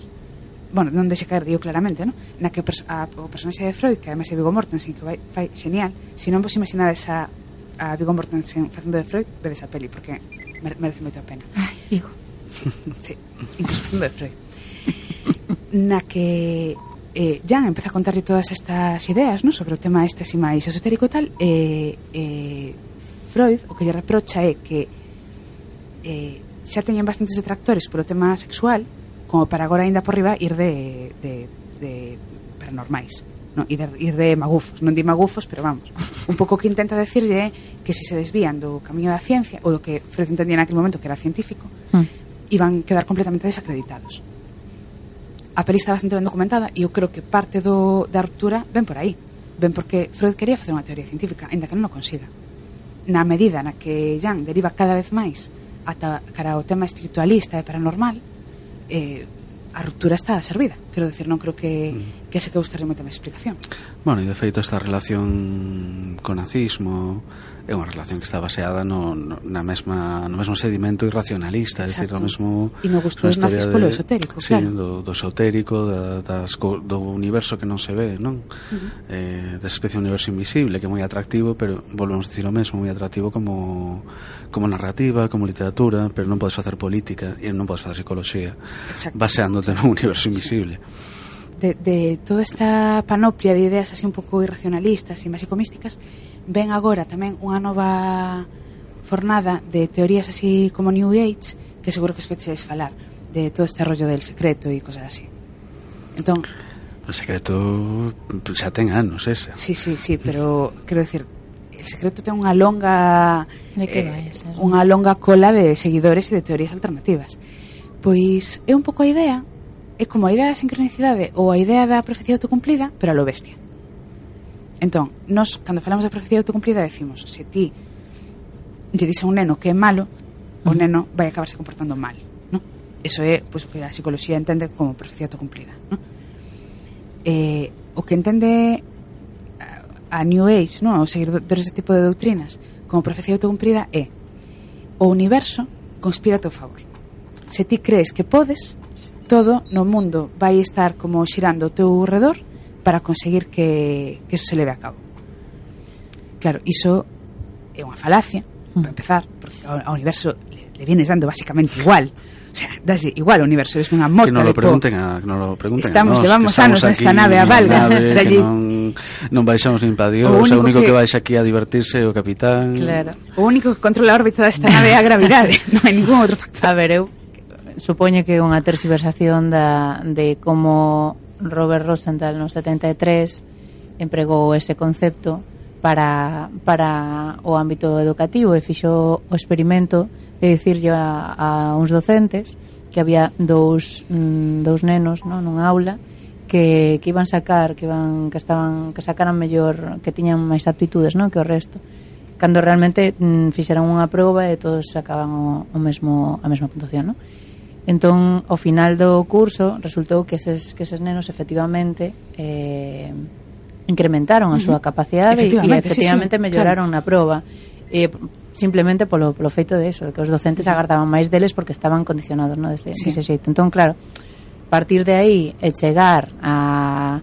bueno, non deixa caer, digo claramente, ¿no? Na que o personaxe de Freud, que además é Viggo Mortensen, que fai genial. Se non vos imaginades a Viggo Mortensen facendo de Freud, vedes a peli, porque merece moito a pena. Ai, Viggo. Sí, incluso facendo de Freud. Na que Jan empeza a contarlle todas estas ideas, ¿no? Sobre o tema este así máis esotérico e tal, Freud o que lle reprocha é que xa teñen bastantes detractores polo tema sexual como para agora ainda por riba ir de paranormais, no? Ir de magufos, non di magufos, pero vamos, un pouco que intenta decirlle é que se desvían do camiño da ciencia ou do que Freud entendía naquele momento que era científico, iban quedar completamente desacreditados. A peli está bastante ben documentada e eu creo que parte da ruptura ven por aí, ven porque Freud quería facer unha teoría científica, ainda que non o consiga. Na medida na que Jan deriva cada vez máis cara ao tema espiritualista e paranormal, a ruptura está servida. Quero decir, non creo que se que buscarle moita máis explicación. Bueno, e de feito esta relación co nazismo é unha relación que está baseada no mesmo sedimento irracionalista, é dicir, no mesmo... E no gusto dos nazis polo esotérico, sí, claro. do esotérico, do universo que non se ve, non? Desa especie de universo invisible, que é moi atractivo, pero volvemos a dicir o mesmo, moi atractivo como narrativa, como literatura, pero non podes facer política e non podes facer psicología baseándote no universo invisible. De toda esta panoplia de ideas así un pouco irracionalistas e máxico-místicas, ven agora tamén unha nova fornada de teorías así como New Age, que seguro que escoitedes falar de todo este rollo del secreto e cosas así. Entón, o secreto xa ten anos esa. Sí, pero quero decir, el secreto ten unha longa unha longa cola de seguidores e de teorías alternativas. Pois é un pouco a idea, é como a idea da sincronicidade ou a idea da profecía autocumplida, pero a lo bestia. Entón, nós, cando falamos da profecía autocumplida, decimos, se ti lle dis a un neno que é malo, o neno vai acabarse comportando mal, ¿no? Eso é, pois, o que a psicología entende como profecía autocumplida, ¿no? O que entende a New Age, ¿no? Os seguidores deste tipo de doutrinas como profecía autocumplida é o universo conspira a teu favor. Se ti crees que podes, todo no mundo vai estar como xirando ao teu redor para conseguir que eso se leve a cabo. Claro, iso é unha falacia, para empezar, porque ao universo le vienes dando basicamente igual. O sea, daslle igual ao universo, es unha mota que non de lo pregunten a nos, levamos anos nesta nave a valga. Que non non baixamos nin pa Dios, o único que baixa aquí a divertirse é o capitán. Claro. O único que controla a órbita desta nave é a gravidade, non hai ningún outro factor. A ver, eu supoño que é unha tergiversación de como Robert Rosenthal no 73 empregou ese concepto para o ámbito educativo e fixo o experimento de dicirlle a uns docentes que había dous nenos, non, nunha aula que iban sacar, que sacaran mellor, que tiñan máis aptitudes, non, que o resto. Cando realmente fixeran unha proba e todos sacaban a mesma puntuación, non? Entón, ao final do curso resultou que eses nenos efectivamente incrementaron a súa capacidade e efectivamente melloraron na proba. Simplemente polo feito de eso, de que os docentes agardaban máis deles porque estaban condicionados, ¿no? Dese xeito. Entón, claro, partir de aí e chegar a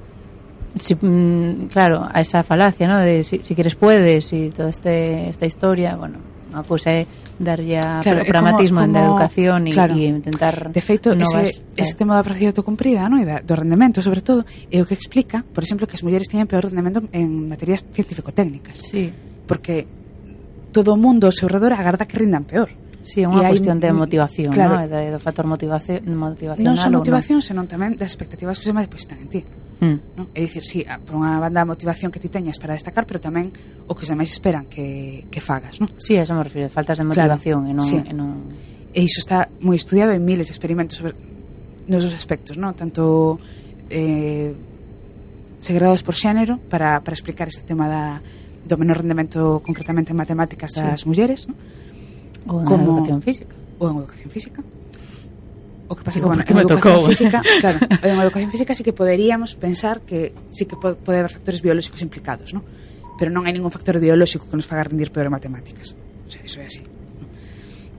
esa falacia, ¿no? De si quieres puedes e toda esta historia, bueno, a cousa é darlle a pragmatismo en educación e intentar de feito ese tema da apreciación autocumprida, ¿no? E do rendemento, sobre todo, é o que explica, por exemplo, que as mulleres teñen peor rendemento en materias científico-técnicas. Sí. Porque todo o mundo ao seu redor agarda que rindan peor. Sí, é unha cuestión de motivación, claro, ¿no? Do factor motivacional. Non só motivación, senón tamén das expectativas que se depositan en ti. ¿No? É dicir, sí, por unha banda a motivación que ti teñas para destacar, pero tamén o que os demais esperan que fagas, ¿no? Sí, eso me refiro, faltas de motivación, claro, e iso está moi estudiado en miles de experimentos sobre nos dos aspectos, ¿no? Tanto segregados por xénero para explicar este tema do menor rendemento concretamente en matemáticas das mulleres, ¿no? Ou en educación física. Ou en educación física. O que pasa que, bueno, en educación física, claro, en educación física sí que poderíamos pensar que sí que pode haber factores biolóxicos implicados, ¿no? Pero non hai ningún factor biolóxico que nos faga rendir peor en matemáticas. O sea, iso é así, ¿no?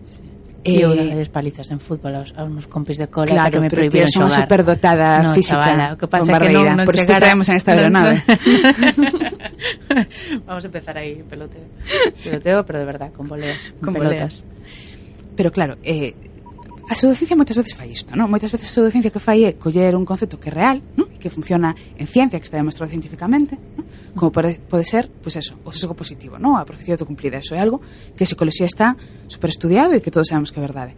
Sí. E eu das palizas en fútbol aos meus compis de cola, claro, que me xogar. Claro, pero prohibiron unha superdotada física. Chavala, o que pasa é que non por isto traemos en esta aeronave. Vamos a empezar aí, peloteo, pero de verdad, con voleas, con pelotas. Pero claro, a pseudociencia moitas veces fai isto, non? Moitas veces a pseudociencia que fai é coller un concepto que é real, non? Que funciona en ciencia, que está demostrado científicamente, non? Como pode ser, pois eso, o sesgo positivo, non? A profecía autocumplida, eso é algo que a psicología está super estudiado e que todos sabemos que é verdade.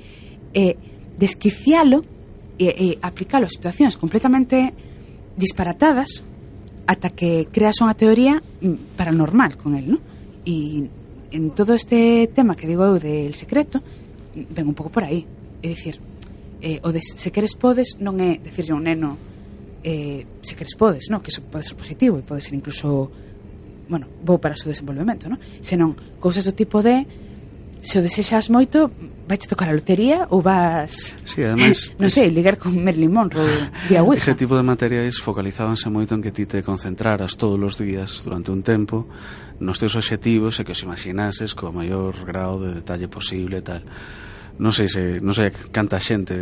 Desquicialo e aplicalo a situacións completamente disparatadas ata que creas unha teoría paranormal con el, non? E en todo este tema que digo eu del secreto ven un pouco por aí. É dicir, o de se queres podes non é decirlle a un neno se queres podes, no? Que iso pode ser positivo e pode ser incluso, bueno, bo para o seu desenvolvemento, no? Senón cousas do tipo de se o desexas moito vais tocar a lotería ou vas, sí, además, non sei, ligar con Marilyn Monroe vía Ouija. Ese tipo de materiais focalizábanse moito en que ti te concentraras todos os días durante un tempo nos teus obxectivos e que os imaginases co maior grado de detalle posible e tal. Non sei canta xente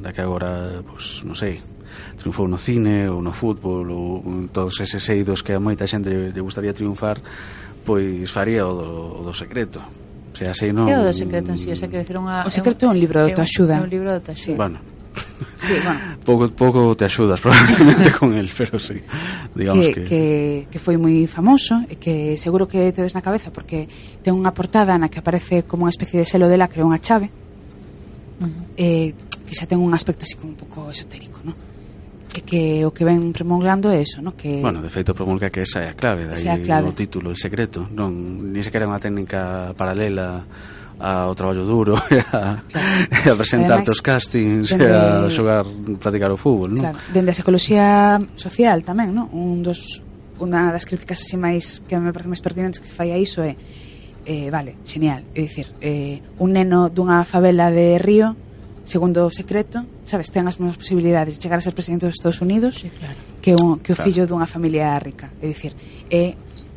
da que agora, pois, non sei, triunfou no cine ou no fútbol ou todos eses eidos que a moita xente lle gustaría triunfar, pois faría o do secreto. O sea, así non... Que é o do secreto en si? O secreto é un libro de autoaxuda. É un libro de autoaxuda. Bueno, sí, bueno. pouco te axudas probablemente con el, pero sí, digamos que foi moi famoso e que seguro que tedes na cabeza porque ten unha portada na que aparece como unha especie de selo de lacre, unha chave, que xa ten un aspecto así como un pouco esotérico, ¿no? E que o que ven promulgando é eso, ¿no? Que bueno, de feito promulga que esa é a clave, dai o título, el secreto, non ni sequera unha técnica paralela ao traballo duro e a presentarte os castings e a xogar, practicar o fútbol, non? Claro, dende a psicología social tamén, non? Unha das críticas así máis que me parece máis pertinentes que se fai a iso é vale, genial, é dicir, un neno dunha favela de Río, segundo o secreto, sabes, ten as mesmas posibilidades de chegar a ser presidente dos Estados Unidos, sí, claro, que o fillo dunha familia rica, é dicir,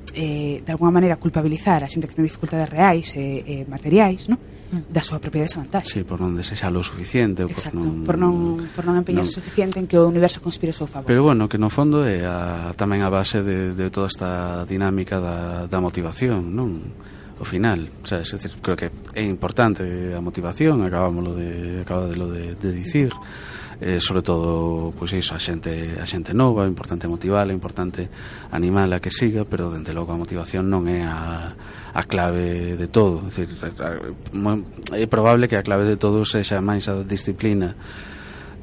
de alguma maneira culpabilizar a xente que ten dificultades reais e materiais, ¿no? Da súa propia desvantaxe. Sí, por non desexalo o suficiente. Exacto, por non empeñarse suficiente en que o universo conspire ao seu favor. Pero bueno, que no fondo é tamén a base de toda esta dinámica da motivación, non? O final, o sea, es decir, creo que é importante a motivación, acaba de dicir, sobre todo, pois iso, a xente nova, é importante motivala, é importante animala a que siga, pero dende logo a motivación non é a clave de todo. É dicir, é probable que a clave de todo sexa máis a disciplina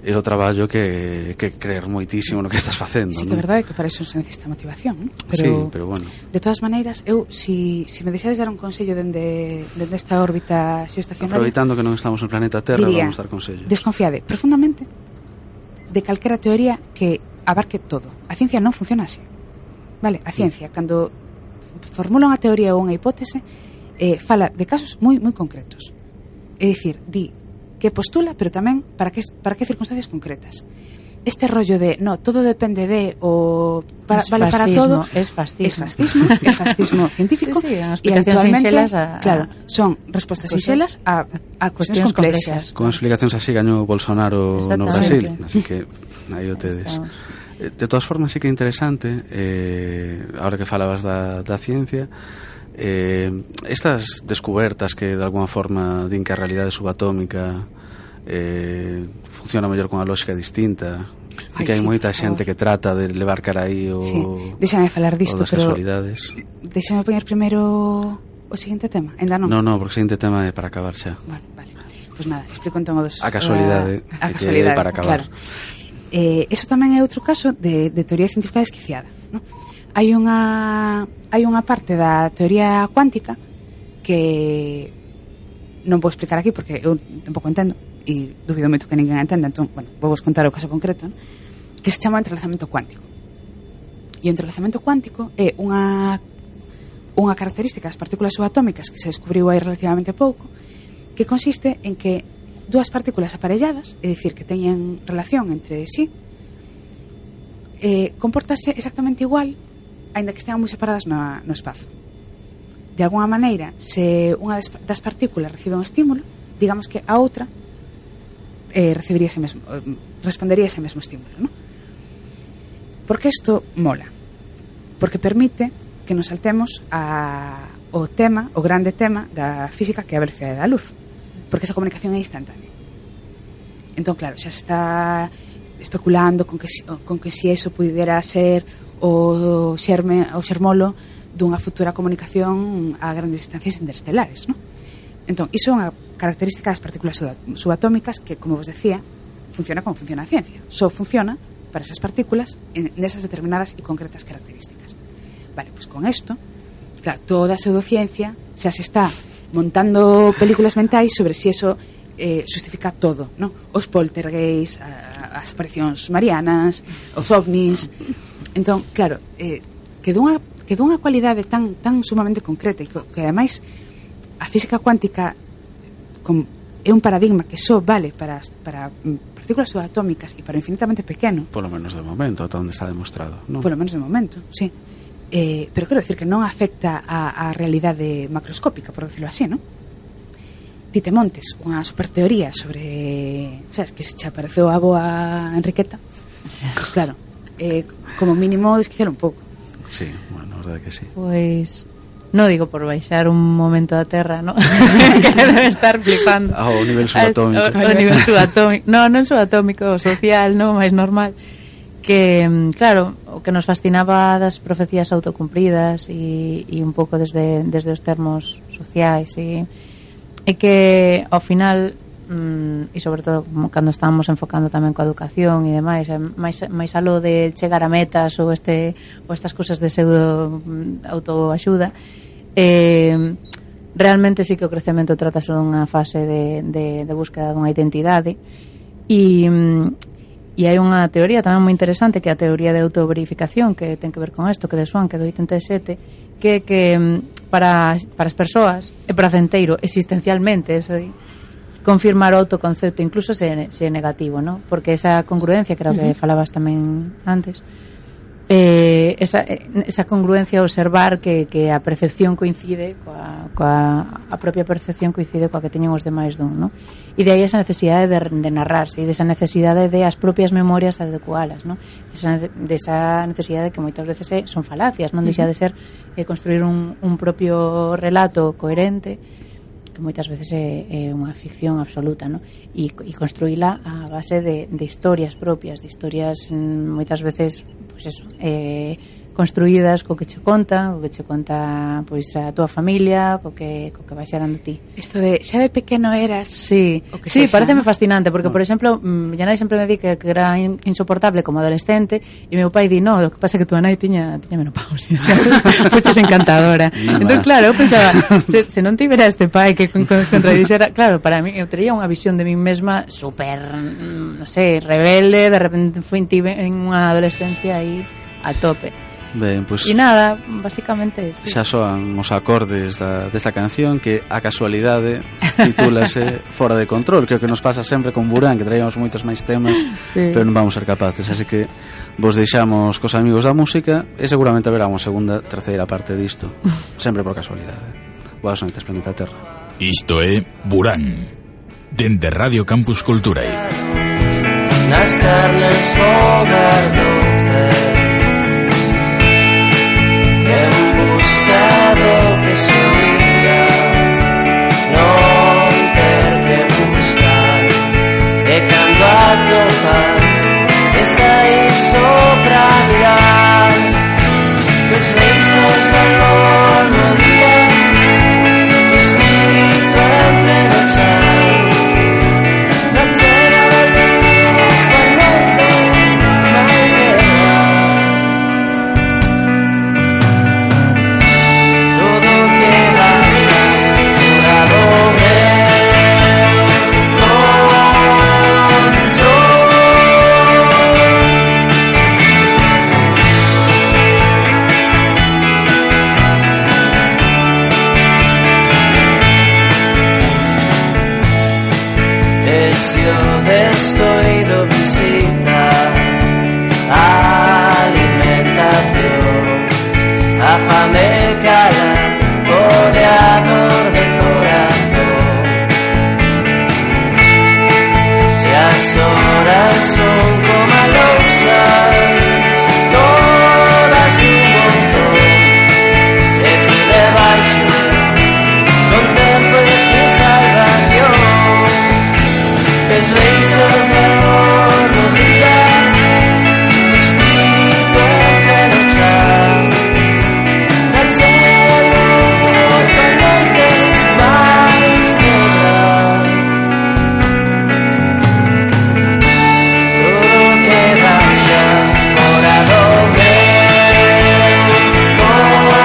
e o traballo que creer moitísimo no que estás facendo. Sí, que é verdade que para eso se necesita motivación, ¿no? Sí, pero bueno. De todas maneiras, eu, si me deixades dar un consello dende esta órbita xeoestacionaria, aproveitando que non estamos no planeta Terra, diría, vamos dar consellos. Desconfiade profundamente de calquera teoría que abarque todo. A ciencia non funciona así. Vale, a ciencia, cando formula unha teoría ou unha hipótese, fala de casos moi moi concretos. É dicir, di que postula, pero tamén para que circunstancias concretas. Este rollo de, no, todo depende de, o vale para todo, es fascismo. Es fascismo científico. Sí, y actualmente, claro, son respostas sinxelas a cuestións complexas. Con explicacións así gañou Bolsonaro no Brasil, así que aí o tedes. De todas formas, sí que é interesante, ahora que falabas da ciencia, estas descubertas que de alguna forma din que a realidade subatómica funciona mellor con a lógica distinta e que hai moita xente que trata de levar cara aí o... Sí, déxame falar disto, pero déxame poñer primeiro o seguinte tema, ainda non? Non, porque o seguinte tema é para acabar xa. Bueno, vale, pois nada, explico entón o dos... A casualidade, que é para acabar. Claro. Eso tamén é outro caso de teoría científica desquiciada, non? Hai unha parte da teoría cuántica que non vou explicar aquí porque eu tampouco entendo e dubido moito que ninguén entenda, entón, bueno, vou vos contar o caso concreto, ¿no? Que se chama entrelazamento cuántico. E o entrelazamento cuántico é unha característica das partículas subatómicas que se descubriu aí relativamente pouco, que consiste en que dúas partículas aparelladas, é dicir, que teñen relación entre sí, compórtase exactamente igual aínda que estean moi separadas no espazo. De alguna maneira, se unha das partículas recibe un estímulo, digamos que a outra respondería ese mesmo estímulo, ¿no? Porque isto mola? Porque permite que nos saltemos o grande tema da física, que é a velocidade da luz, porque esa comunicación é instantánea. Entón, claro, xa se está especulando con que si eso pudera ser o xermolo dunha futura comunicación a grandes distancias interestelares, ¿no? Entón, iso é unha característica das partículas subatómicas que, como vos decía, funciona como funciona a ciencia. Só funciona para esas partículas nesas determinadas e concretas características. Vale, pois con isto, claro, toda a pseudociencia xa se está montando películas mentais sobre si eso justifica todo, ¿no? Os poltergeists, as aparicións marianas, os ovnis. Entón, claro, que dunha cualidade tan sumamente concreta e que ademais a física cuántica é un paradigma que só vale para partículas subatómicas e para o infinitamente pequeno. Polo menos de momento, ata onde está demostrado, non? Polo menos de momento, sí. Pero quero decir que non afecta a realidade macroscópica, por decirlo así, non? Ti te montes unha superteoría sobre, sabes, que se che apareceu a boa Enriqueta, pues claro, como mínimo desquiciar un pouco. Sí, bueno, a verdade que sí. Pois non digo por baixar un momento da Terra, ¿no? Que debe estar flipando. O nivel subatómico. O nivel subatómico. Non subatómico, social, non, máis normal. Que, claro, o que nos fascinaba das profecías autocumplidas e un pouco desde os termos sociais e que ao final e sobre todo cando estábamos enfocando tamén coa educación e demais, máis aló de chegar a metas ou estas cousas de pseudo autoaxuda, realmente sí que o crecemento tratase dunha fase de búsqueda dunha identidade e hai unha teoría tamén moi interesante que é a teoría de autoverificación que ten que ver con isto, que de Swan, que do 87, que para as persoas é pracenteiro existencialmente confirmar o autoconcepto, incluso se é negativo, ¿no? Porque esa congruencia, creo que falabas tamén antes, esa congruencia, observar que a percepción coincide a propia percepción coincide coa que teñen os demais dun, ¿no? E de aí esa necesidade de narrarse e desa necesidade de as propias memorias adecualas, ¿no? Desa necesidade que moitas veces son falacias, non deixa de ser construir un propio relato coherente que moitas veces é unha ficción absoluta, no? E construíla a base de historias propias, de historias moitas veces, pois eso, construídas co que che conta pois a túa familia, co que vai xerando ti. Isto de xa de pequeno eras. Sí, pareceme fascinante, porque por exemplo, Yanai sempre me di que era insoportable como adolescente, e meu pai di, no, o que pasa é que túa nai tiña menopausia. Fuches encantadora. Entón, claro, eu pensaba, se non tivera este pai que contradixera, claro, para mí eu tería unha visión de mí mesma super, non sei, rebelde, de repente tive en unha adolescencia aí a tope. Ben, pues, e nada, basicamente sí. Xa soan os acordes desta canción, que a casualidade titúlase Fora de Control, que é o que nos pasa sempre con Burán, que traíamos moitos máis temas, sí, pero non vamos ser capaces, así que vos deixamos cos amigos da música e seguramente haberá unha segunda, terceira parte disto, sempre por casualidade. Boas noites, Planeta Terra. Isto é Burán, dende Radio Campus Culturae. Nas carnes fogar do fer, en busca do que se oía, non ter que buscar, e cando atopas está aí sobra mirar, os leitos valor no día, o espírito en pleno chan, na chera del luz, da noite máis verdad. Descoido visita a alimentación, a fame cala rodeador de corazón. Si as horas son como lousas, todas un montón, e ti debaixo, con tempo e sin salvación. Es leitos de amor no día, espírito en pleno chan, na chea luz da noite máis negra. Todo queda xa fora do meu control.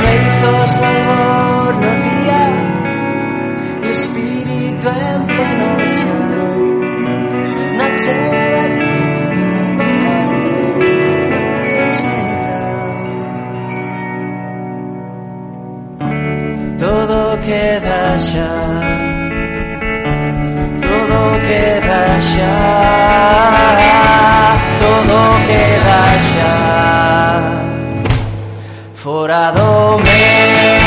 Leizos do amor no día, e espírito en pleno chan, na chea luz da noite máis negra. Todo queda xa, todo queda xa, todo queda xa fora do meu